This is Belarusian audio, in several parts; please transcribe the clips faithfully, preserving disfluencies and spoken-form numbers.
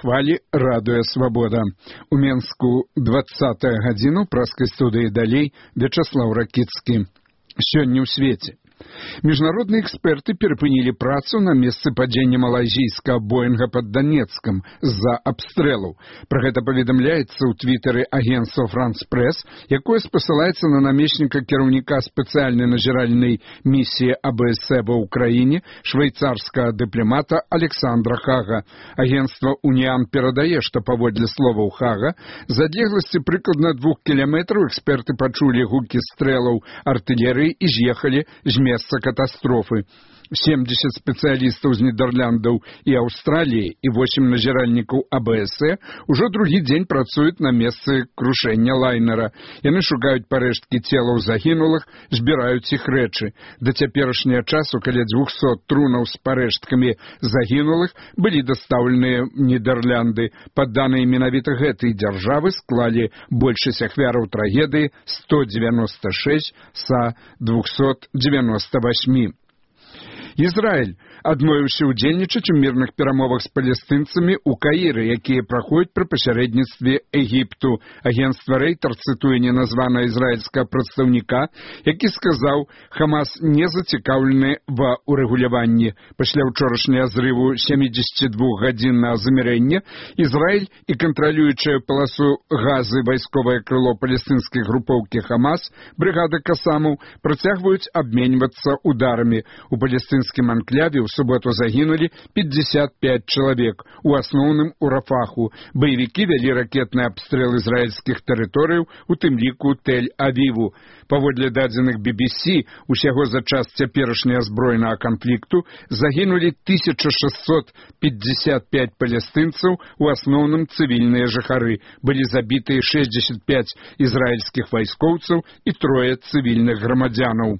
хвалі радыё Свабода. У Менску двадцатая гадзіну, праскай студыі далей Вячаслаў Ракіцкі. Сёння ў свеце. Міжнародныя эксперты перапынілі працу на месцы падзення малайзійскага Боинга пад Донецком з-за абстрэлаў. Пра гэта паведамляецца ў твітары агенцтва France Press, якое спасылаецца на намесніка кіраўніка спецыяльнай назіральнай місіі А Б С ва ўкраіне швейцарскага дыпламата Александра Хага. Агенцтва Уніан перадае, што паводле словаў Хага, з адлегласці прыкладна двух кіламетраў эксперты пачулі гукі стрэлаў артылерыі і з'ехалі з месца катастрофы. семьдесят спецыялістаў з Нідерландаў і Аўстраліі і восемь назіральнікаў А Б С ужо другі дзень працуюць на месцы крушэння лайнера. Яны шукаюць парэшткі целаў загінулых, збіраюць іх рэчы. Да цяперашняга часу каля двухсот трунаў з парэшткамі загінулых былі дастаўленыя Нідерланды. Па даныя менавіта гэтай дзяржавы склалі большасць ахвяраў трагедыі сто девяносто шесть са двухсот девяносто восьми. Ізраіль адмовіўся ўдзельнічаць у мірных перамовах з палестынцамі ў Каіры, якія праходзяць пры пасярэдніцтве Егіпту. Агенцтва Рейтер цытуе неназванага ізраільскага прадстаўніка, які сказаў, Хамас не зацікаўлены ва ўрэгуляванні. Пасля ўчорашняга зрыву семидесятидвухгадзіннага замірэння Ізраіль і кантралюючая паласу газы вайсковае крыло палестынскай групоўкі Хамас, брыгада Касамаў, працягваюць абменьвацца ударамі. У палестынскім анкляве ў суботу загінулі пятьдесят пять чалавек, у асноўным у Рафаху. Баевікі вялі ракетны абстрэл ізраільскіх тэрыторыяў, у тым ліку Тель-Авіву. Паводле дадзеных Би Би Си, усяго за час цяперашняга збройнага канфлікту загінулі тысяча шестьсот пятьдесят пять палестынцаў, у асноўным цывільныя жыхары. Былі забітыя шестьдесят пять ізраільскіх вайскоўцаў і трое цывільных грамадзянаў.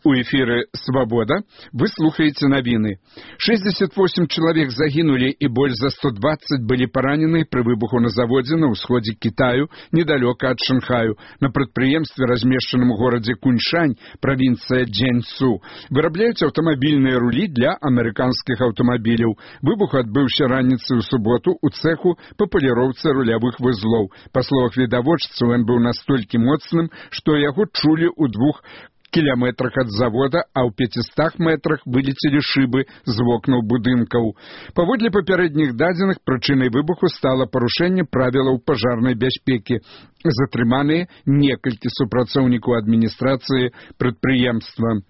У эфіры «Свобода» вы слухаеце навіны. шестьдесят восемь чалавек загінулі і больш за сто двадцать былі паранены пры выбуху на заводзе на ўсходзе Кітаю, недалёка ад Шанхаю, на прадпрыемстве, размешчаным у горадзе Куньшань, правінцыя Джэньцу. Вырабляюць аўтамабільныя рулі для амерыканскіх аўтамабіляў. Выбух адбыўся раніцай у суботу ў цэху па паліроўцы рулявых вузлоў. Па словах відавочцаў, ён быў настолькі моцным, што яго чулі ў двух кіляметрах ад завода, а ў пяцістах метрах вылецелі шыбы з вокнаў будынкаў. Паводле папярэдніх дадзеных, прычынай выбуху стала парушэнне правілаў пажарнай бяспекі. Затрыманыя некалькі супрацоўнікаў адміністрацыі прадпрыемства.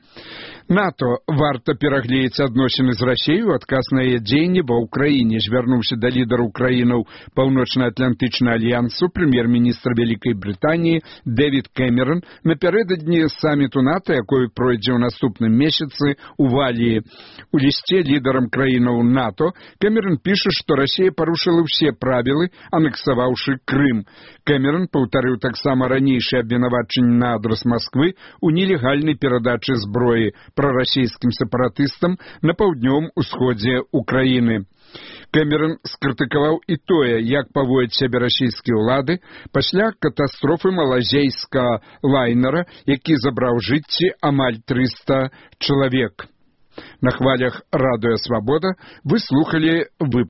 НАТО варта перагледзець адносіны з Расіяй у адказ на яе дзеянні ва ўкраіне. Звярнуўся да лідараў краінаў Паўночна-Атлантычнага альянсу прэм'ер-міністр Вялікай Брытаніі Дэвід Кэмерон напярэдадні саміту НАТО, якой пройдзе ў наступным месяцы у Валіі. У лісце лідарам краінаў НАТО Кэмерон піша, што Расія парушыла ўсе правілы, анексаваўшы Крым. Кэмерон паўтарыў таксама ранейшае абвінавачанне на адрас Масквы ў нелегальнай перадачы зброі прарасійскім сепаратыстам на паўднёвым усходзе Украіны. Кэмерон скрытыкаваў і тое, як паводзяць сябе расійскія ўлады пасля катастрофы малайзійскага лайнера, які забраў жыцці амаль трыста чалавек. На хвалях радыё Свабода вы слухалі выпуск